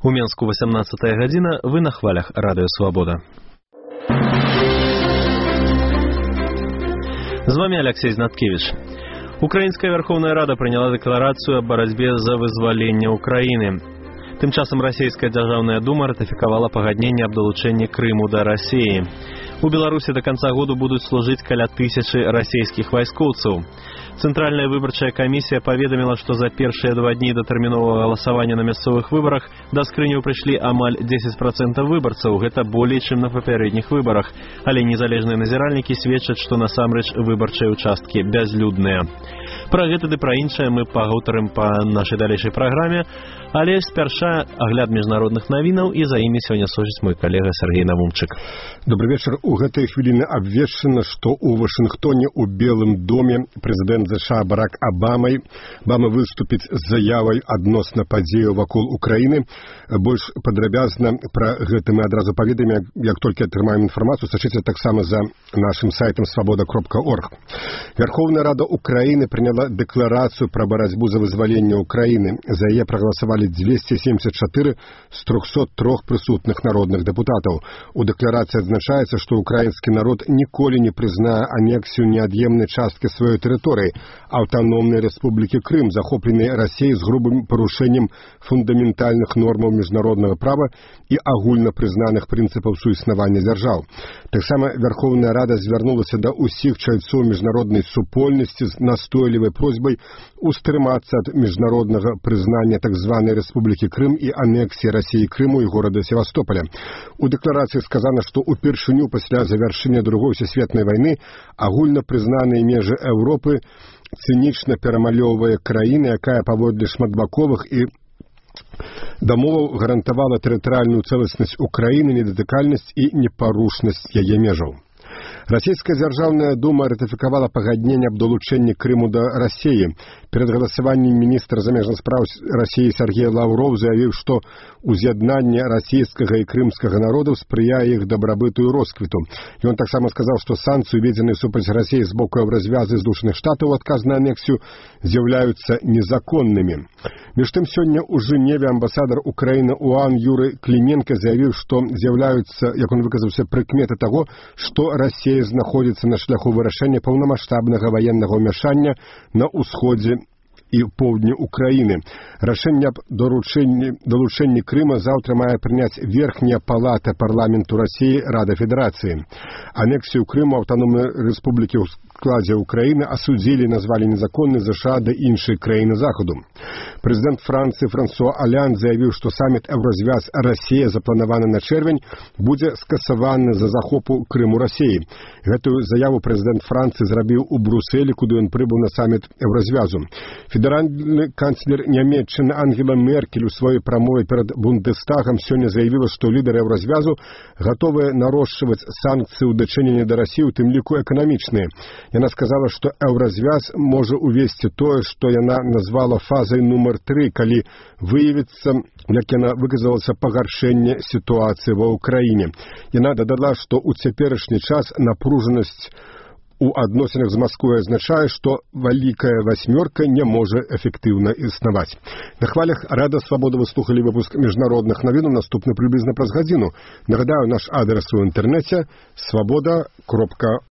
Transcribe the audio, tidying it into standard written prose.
У Менску 18 гадзіна, вы на хвалях Радыё Свабода. З вами Алексей Знаткевич. Украінская Верховная Рада прыняла дэкларацыю аб барацьбе за вызваленне Украіны. Тым часам расійская дзяржаўная дума ратыфікавала пагадненне аб далучэнні Крыму да Расіі. У Беларусі до конца году будуць служыць каля 1000 расійскіх вайскоўцаў. Цэнтральная выбарчая камісія паведаміла, што за першыя 2 дні да тэрміновага галасавання на мясцовых выбарах да скрыняў прыйшлі амаль 10% выбарцаў. Гэта болей, чым на папярэдніх выбарах. Але незалежныя назіральнікі сведчаць, што насамрэч выбарчыя участкі бязлюдныя. Пра гэта ды пра іншае мы пагутарым па нашай далейшай праграме, але спярша агляд міжнародных навінаў, і за імі сёння сочыць мой калега Сергей Навумчык. Добрый вечер. У гэтай хвіліны абвешчана, што ў Вашынгтоне ў Белым доме прэзідэнт США Барак Обама выступіць з заявай адносна падзеяў вакол Украіны. Больш падрабязна пра гэта мы адразу паведамім, як толькі атрымаем інфармацыю. Сачыце таксама за нашым сайтам свабода.орг. Верховная Рада Украіны прыняла дэкларацыю пра барацьбу за вызваленне Украіны. За яе прагаласавалі 274 з 303 прысутных народных дэпутатаў. У дэкларацыі адзначаецца, што украінскі народ ніколі не прызнае анексію неад'емнай часткі сваёй тэрыторыі, аўтаномнай рэспублікі Крым, захопленай Расіяй з грубым парушэннем фундаментальных нормаў міжнароднага права і агульна прызнаных прынцыпаў суіснавання дзяржаў. Таксама Верховная Рада звярнулася да ўсіх чальцоў міжнароднай супольнасці з настойлівай просьбай устрымацца ад міжнароднага прызнання так званай рэспублікі Крым і анексіі Расіі Крыму і горада Севастополя. У дэкларацыі сказана, што упершыню пасля завяршэння Другой сусветнай вайны агульна прызнаныя межы Еўропы цынічна перамалёўвае краіна, якая паводле шматбаковых і дамоваў гарантавала тэрытарыяльную цэласнасць Украіны, недатыкальнасць і непарушнасць яе межаў. Расійская дзяржаўная дума ратыфікавала пагадненне аб далучэнні Крыму да Расіі. Перад галасаваннем міністр замежных спраў Расіі Сергей Лаўроў заявіў, што уз'яднанне расійскага і крымскага народаў спрыяе іх дабрабыту і росквіту. Ён таксама сказаў, што санкцыі, уведзеныя супраць Расіі з боку развязы Злучаных Штатаў у адказ на анексію, з'яўляюцца незаконнымі. Між тым, сёння ў Жэневе амбасадар Украіны УАН Юрый Кліменка заявіў, што з'яўляюцца, як он выказаўся, прыкметы таго, што Расія знаходзіцца на шляху вырашэння паўнамаштабнага ваеннага ўмяшання на ўсходзе і поўдні Украіны. Рашэнне аб далучэнні Крыма заўтра мае прыняць верхняя палата парламенту Расіі Рада Федэрацыі. Анексію Крыму аўтаномнай рэспублікі ў складзе Украіны асудзілі, назвалі незаконнай ЗША да іншай краіны Захаду. Прэзідэнт Францыі Франсуа Аллянд заявіў, што саміт Еўразвяз Расія, запланаваны на чэрвень, будзе скасаваны за захопу Крыму Расіі. Гэтую заяву прэзідэнт Францыі зрабіў у Брусэлі, куды ён прыбыў на саміт Еўразвязу. Федэральны канцлер Нямецчыны Ангела Меркель у сваёй прамове перад Бундестагам сёння заявіла, што лідары Еўразвязу гатовыя нарошчваць санкцыі ў дачыненні да Расіі, у тым ліку эканамічныя. Яна сказала, што Еўразвяз можа увесці тое, што яна назвала фазай нумар 3, калі выявіцца, як яна выказалася, пагаршэнне сітуацыі ва Ўкраіне. Яна дадала, што ў цяперашні час напружанасць у адносінах з Масквой азначае, што вялікая васьмёрка не можа эфектыўна існаваць. На хвалях Рада Свабода вы слухалі выпуск міжнародных навінаў, наступны прыблізна праз гадзіну. Нагадаю, наш адрес у інтэрнэце свабода.орг.